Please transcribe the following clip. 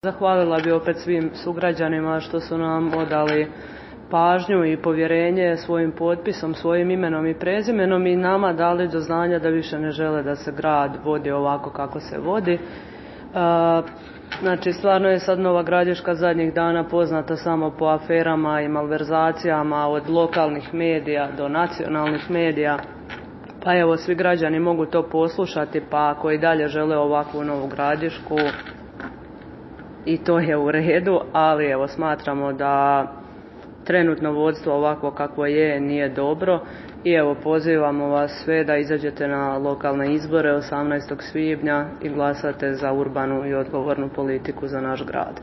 Zahvalila bi opet svim sugrađanima što su nam odali pažnju i povjerenje svojim potpisom, svojim imenom i prezimenom i nama dali do znanja da više ne žele da se grad vodi ovako kako se vodi. Znači, stvarno je sad Nova Gradiška zadnjih dana poznata samo po aferama i malverzacijama od lokalnih medija do nacionalnih medija. Pa evo, svi građani mogu to poslušati, pa ako i dalje žele ovakvu Novu Gradišku, i to je u redu, ali evo, smatramo da trenutno vodstvo ovako kakvo je nije dobro i evo, pozivamo vas sve da izađete na lokalne izbore 18. svibnja i glasate za urbanu i odgovornu politiku za naš grad.